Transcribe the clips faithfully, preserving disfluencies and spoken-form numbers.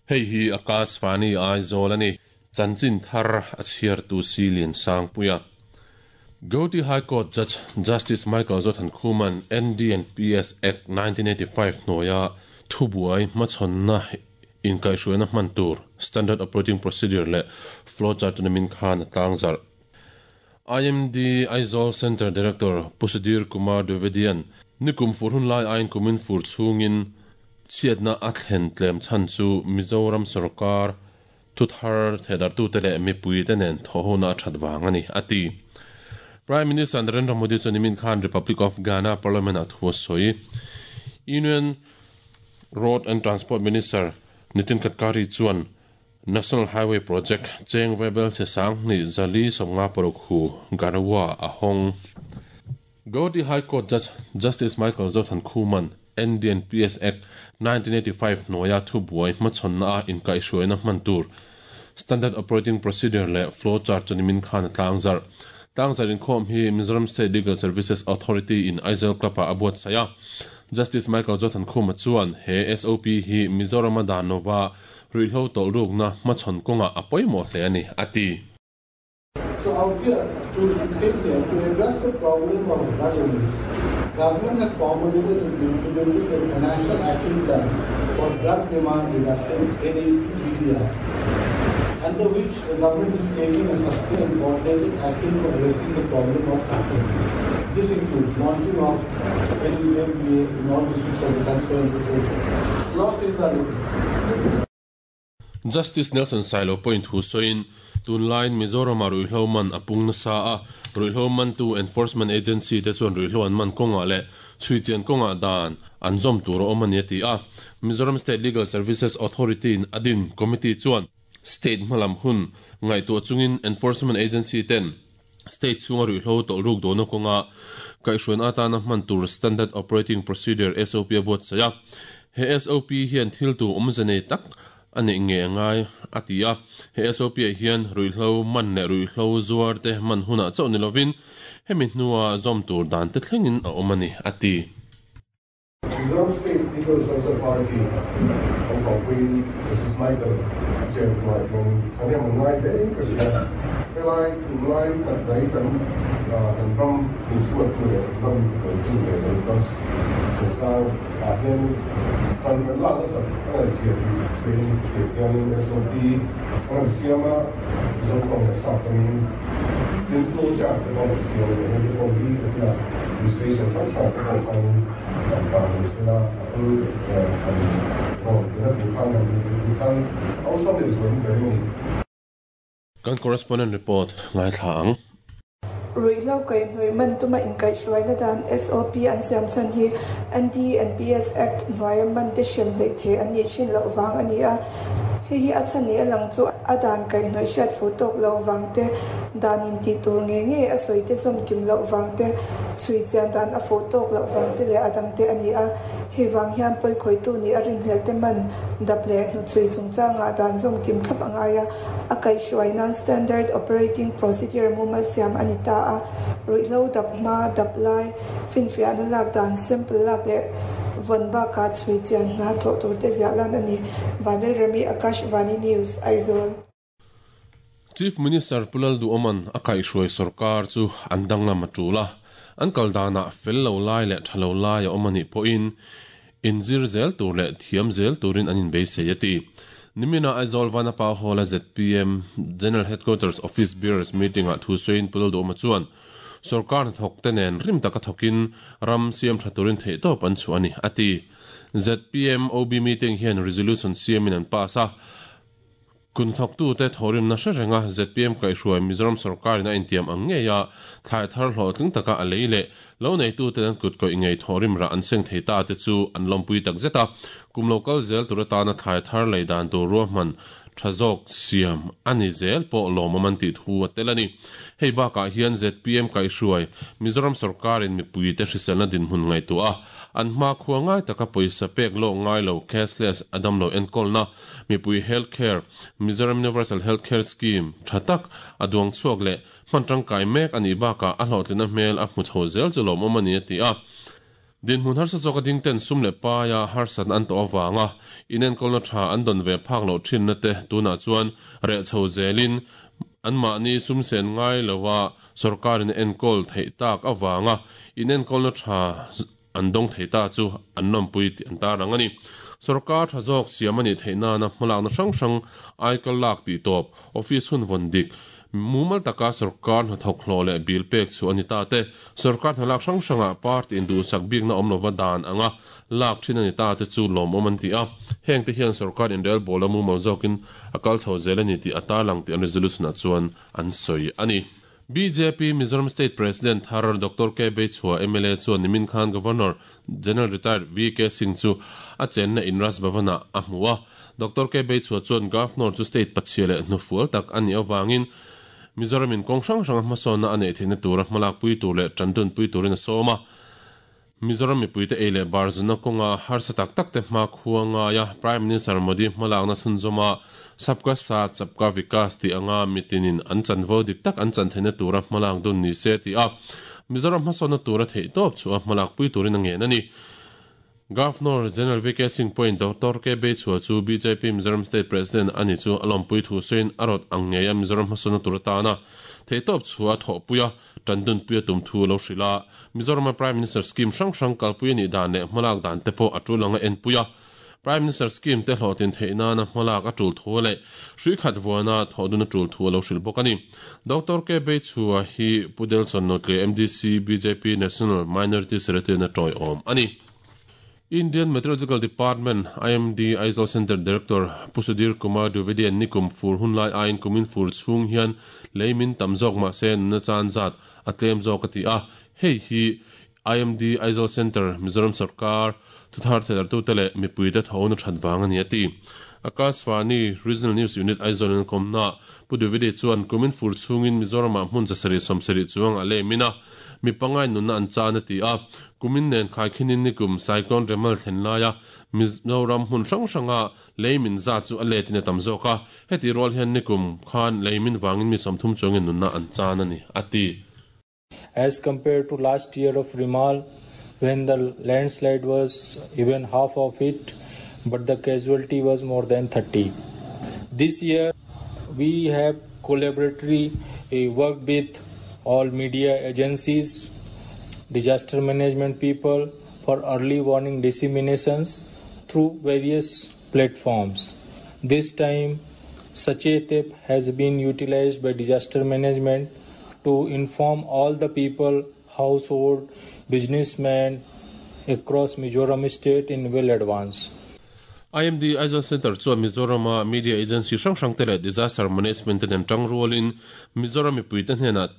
Hei hi Akashvani Aizawl ani chanchin thar a chhiar tu si lian sang puia. Guwahati High Court Judge Justice Michael Zothankhuma'n N D and P S Act nineteen eighty-five hnuaia thubuai hmachhawnna inkaihhruaina hman tur Standard Operating Procedure leh flowchart chu nimin khan a tlangzarh. I M D Aizawl Center Director Pu Sudhir Kumar Dwivedian nikum fur hun lai aiin kumin fur chhungin chhiatna a thlen tlem chhan chu Mizoram sorkar thuthar thehdarhtute leh mipui te nen thawhhona a that vang ani a ti. Prime Minister Narendra Modi chu nimin khan Republic of Ghana Parliament a thu a sawi. Union Road and Transport Minister Nitin Gadkari chuan National Highway Project cheng vaibelchhe sang hnih zali sawmnga paruk hu Garhwa a hawng. Guwahati High Court Judge Justice Michael Zothankhuma'n N D and P S Act nineteen eighty-five hnuaia thubuai hmachhawnna a inkaihhruaina hman tur Standard Operating Procedure leh flowchart chu nimin khan a tlangzarh. Tlangzarh inkhawm hi Mizoram State Legal Services Authority in Aizawl Club ah a buatsaih a. Justice Michael Zothankhuma chuan he S O P hi Mizoram a dan nova ruihhlo tawlhrukna hmachhawn kawngah a pawimawh hle ani a ti. So out here, to say here, to address the problem of drug abuse, government has formulated and implemented a National Action Plan for Drug Demand Reduction, N A P D D R, under which the government is taking a sustained and coordinated action for arresting the problem of substance abuse. This includes launching of N D M P A in all districts of the country, so on and so forth. A lot of things are looking. Justice Nelson Sailo point hu soin tunlaiin Mizoram a ruihhlo man a pung nasa a, ruihhlo man tu enforcement agency te chuan ruihhlo an man kawngah leh chhuichian kawngah dan an zawm tur a awm ani a ti a. Mizoram State Legal Services Authority in adin committee chuan state hmalam hun ngaihtuah chungin enforcement agency ten state chhunga ruihhlo tawlhruk dawhna kawnga kaihhruaina atana hman tur Standard Operating Procedure S O P a buatsaih a. He S O P hian thil tu awmze nei tak a neih nge ngai a ti a. He S O P ah hian ruihhlo man leh ruihhlo zuar te man hunah chauh ni lovin hemi hnua zawm tur dan te thlengin a awm ani a ti. Mizoram State Legal Service Authority ang thawpui Justice Michael chen tuah hian thahnem an ngai hle ka hria. Helai tunlai tak mai kan kan ram insuat tu leh ram tu leh kan drugs chungchang ah hian kan kan lak nasa a ngaih zia tih hrein hianin S O P an han siam a, Mizo tawng leh sap tawngin tin flow chart te pawh an siam leh hei te pawh hi ka tina administration hrang hrang te pawh khanin kan ta ni sela a ul kan rawn tina tur khan kan tur khan awlsam leh zualin ka ring a ni. Kan correspondent report ngaithla ang. Ruihhlo kaihhnawih man tuma inkaihhruaina dan S O P an siam chhan hi N D and P S Act hnuaia man te hrem hleih thei an nih thin loh vang ani a. Hei hi a chhan ni a lang chu a dan kaihhnawih hriat fu tawk lo vang te, dan in tih tur nge nge a sawi te zawm kim loh vang te, chhui chian dan a fuh tawk loh vang te leh a dang te ani a. Hei vang hian pawikhawihtu ni a rinhlelh te man dap leh hnuchhui chungchangah dan zawm kim thlap a ngai a. A kaihhruai nan Standard Operating Procedure mumal siam ani ta a. Ruihhlo dap hma, dap lai, finfiahna lak dan, sample lak leh vawn bakah chhui chian hna thawh tur te ziah lan ani. Vanel Rami, Akashvani News, Aizawl. Chief Minister Pu Lalduhoma'n a kaihhruai sarkar chu an danglam a tul a. An kal danah fel lo lai leh tha lo lai a awm anih pawhin inzir zel tur leh thiam zel turin an inbeisei a ti. Nimina Aizawl Vanapa Hall a Z P M General Headquarters Office Bearers meeting ah thu sawiin Pu Lalduhoma chuan sarkar hnathawk te nen rim taka thawkin ram siam tha turin theihtawp an chhuah ani a ti. Z P M O B meeting hian resolution siamin an pass a. Kun thawktu te thawrimna hre renga Z P M kaihhruai Mizoram sarkarin a intiam ang ngei a thlai thar hlawhtling taka a lei leh lo neitu te an kut kawih ngei thawrim rah an seng thei ta te chu an lawmpui tak zet a. Kum local zel tur atana thlai thar lei dan tur ruahman tha zawk siam ani zel pawh lawmawm an tih thu a tel ani. Hei bakah hian Z P M kaihhruai Mizoram sarkarin mipui te hriselna dinhmun ngaihtuah a an hma khua ngai taka pawisa pek lawk ngai lo cashless adam lo enkawlna mipui healthcare Mizoram Universal Healthcare Scheme tha tak a duang chhuak leh hman tangkai mek ani bakah a hlawhtlina hmel a hmu chho zel chu lawmawm ani a ti a. Din hun har sa zoka ding ten sum le pa ya har san an to awanga inen kolna tha an don ve phak lo thin na te tuna chuan re chho zelin an ma ni sum sen ngai lowa sarkarin en kol thei tak awanga inen kolna tha an dong thei ta chu an nom pui ti an ta rang ani sarkar tha jok siamani theina na hmalak na hrang hrang aikal lak ti top office hun von dik mumal taka sarkar na thok hlole bil pek chu ani ta te sarkar na lak hrang hranga party indu sak bik na omlova dan anga lak thin ani ta te chu lom oman ti a heng te hian sarkar in rel bola mumal zokin akal chho zelani ti ata lang ti an resolution a chuan an soi ani B J P Mizoram State President Thar Doctor K Beichhua M L A chuan Nimin Khan Governor General Retired V K Singh chu a chenna Inras Bhavana a hmuwa Doctor K Beichhua chuan Governor chu state pachiale hnufual tak ani awangin Mizoram in kong hrang hrang hmasawna a nei theihna tura hmalak pui tur leh tandun pui turin a sawm a Mizoram mipuite ei leh barzuna kawnga harsa tak tak te hma khuanga ya Prime Minister Modi hmalakna chhunzawma Sabka Saath Sabka Vikas ti anga mitinin an chanvo dik tak an chan theihna tura hmalak dun ni se ti a Mizoram hmasawna tura theih tawp chu a hmalak pui turin a ngen ani Governor General V K Singh point Doctor K Beichhua chu B J P Mizoram State President ani chu alompui thu soin arot angngeia Mizoram hmasawna tura tana theih tawp chu a thawh puia tandun puia tum thu lo hrila Mizoram Prime Minister scheme hrang hrang kalpui ani dan leh hmalak dan te pawh a tulanga en puia Prime Minister scheme te hlawtin theihna na hmalak a tul thu leh hrui khat vuana thawhdun a tul thu lo hril bawk ani Doctor K Beichhua hi Pudelson Notle M D C B J P National Minority Secretary na tawi awm ani Indian Meteorological Department I M D Aizawl Center Director Pusudir Kumar Dwivedi an nikum fur hunlai ain kumin fur chung hian leimin tamzok ma se na chan zat atlem zawk ati a hei hi I M D Aizawl Center Mizoram Sarkar thuthar thedar tu tele mipui te tho na that wang ani ati Akashvani Regional News Unit Aizawl an komna Puduvidi chuan kumin fur chungin Mizoram ah hmun zasari somsari chuang a lemina mi pangai nunna an chan ati a kumin nen khai khinin nikum cyclone remal thlenlaia Mizoram hmun hrang hranga leimin za chu a letin a tam zawk a heti rual hian nikum khan leimin wangin mi sawmthum chuangin nunna an chan ani ati As compared to last year of Rimal, when the landslide was even half of it, but the casualty was more than thirty. This year, we have collaboratively worked with all media agencies, disaster management people for early warning disseminations through various platforms. This time, Sachet app has been utilized by disaster management to inform all the people, household, businessmen across Mizoram state in well advance. I M D Aizawl Center chuan Mizoram media agency hrang hrang te leh disaster management ten tang rualin Mizoram mipui te hnena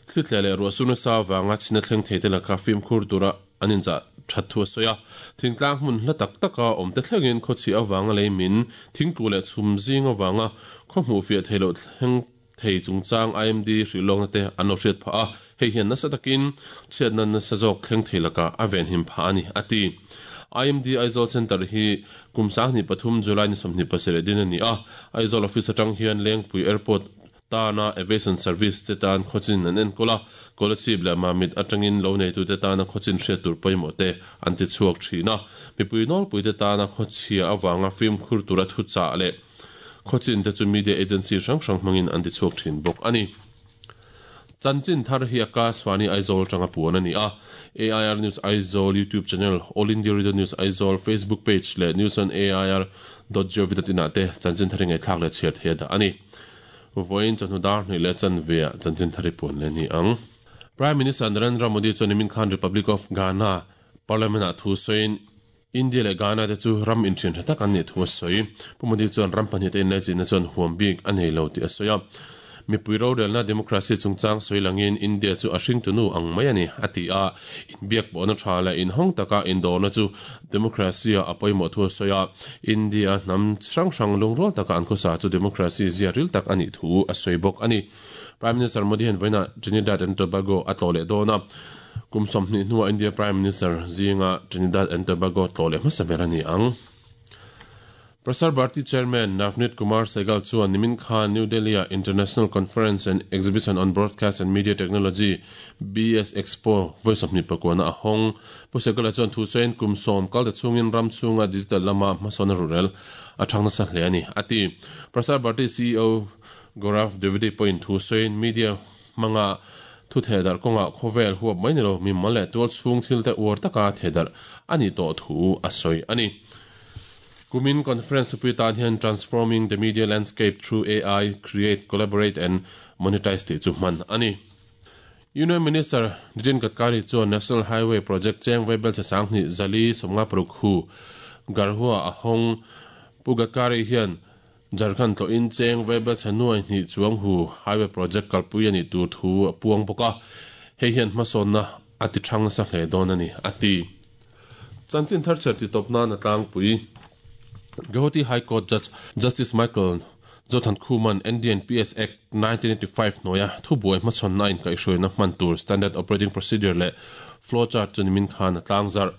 thlitle leh ruahsuna sa wanga china thleng thei te laka fimkhur tura anin cha that thu soya thingtlang hmun hla tak taka awm te thlengin khawchi awanga leimin thingtu leh chhum zing awanga khawhmu fiah theilo thleng thei chungchang I M D hrilawng na te an lo hriat pha a hei hian nasa takin chhiatna nasa zawk thleng thei laka a ven him pha ani ati I M D Aizawl Center hi kumsang ni pathum July ni somni pasere din ani a Aizawl office atang hian Lengpui Airport tana aviation service te tan khochin an enkola kolasib la mamit atangin lo nei tu te tana khochin hriat tur pawimawh te an ti chhuak thina mipui nawl pui te tana khawchhia awanga film khur tura thu cha le khochin te chu media agency hrang hrang hmangin an ti chhuak thin bawk ani Chanchin thar hi Akashvani Aizawl tanga puan ani a A I R News Aizawl YouTube channel All India Radio News Aizawl Facebook page le news on A I R dot gov dot in ate chanchin thar ngai thlak le chhiar the da ani voin chanu dar ni le chan ve chanchin thari puan le ni ang Prime Minister Narendra Modi chuan Nimin Khan Republic of Ghana Parliament a thu soin India le Ghana te chu ram in thin tak an ni thu soi pu Modi chuan ram pahnih te in le chin chuan huam bik anei lo ti a soya mi puiro relna democracy chungchang soilangin India chu a hring tunu ang mai ani ati a inbiak pawhna tha la in hong taka indawrna chu democracy a pawimawh thu soya India hnam hrang hrang lungrual taka an khawsa chu democracy zia ril tak ani thu a sawi bawk ani Prime Minister Modi hian vawiina Trinidad and Tobago a tlawh leh dawn a kum sawmhnih hnuah India Prime Minister zinga Trinidad and Tobago tlawh leh hmasa ber ani ang Prasar Bharati Chairman Navneet Kumar Sehgal chuan nimin khan New Delhi a International Conference and Exhibition on Broadcast and Media Technology B S Expo voice of ni pakwana a hong pu Sehgal chuan thu sein kum som kal ta chungin ram chunga digital lama masona rural a thangna sa hle ani ati Prasar Bharati C E O Gaurav Dwivedi point thu sein media manga thu thedar konga khovel huap mai nilo mi male tual chung thil te ur taka thedar ani to thu a soi ani Kumin Conference tupi tan hian Transforming the Media Landscape Through A I, Create, Collaborate and Monetize te chu man ani. Union Minister Nitin Gadkari chuan National Highway Project cheng veibel che sang ni zali somnga paruk hu garhua ahong pu Gadkari hian Jharkhand to in cheng veibel che nuai ni chuang hu highway project kalpui ani tur thu puang boka hei hian hmasawn na ati thang sa hle dawn ani ati chanchin thar cher ti topna na tlang pui Guwahati High Court Judge Justice Michael Zothan Khuman N D N P S Act nineteen eighty-five noya thubuai hmachhawn na in kaihhruai na hman tur Standard Operating Procedure le flowchart chu nimin khan tlangzar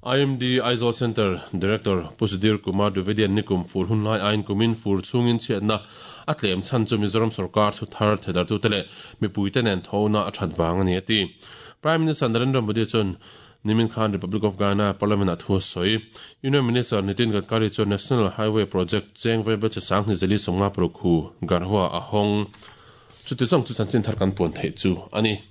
I M D Aizawl Center Director Pusudir Kumar Dwivedi nikum fur hunlai ain kumin fur chungin chiatna atlem chan chu Mizoram sarkar thu thar thedar tu tele mipui te nen thona a that wang ani ati Prime Minister Narendra Modi chun Nimin Khan Republic of Ghana Parliament at soi Union Minister Nitin Gadkari chu National Highway Project cheng veibel che sang ni zeli somnga paruk hu garhua ahong chuti chong chu chanchin thar kan pon thei chu ani.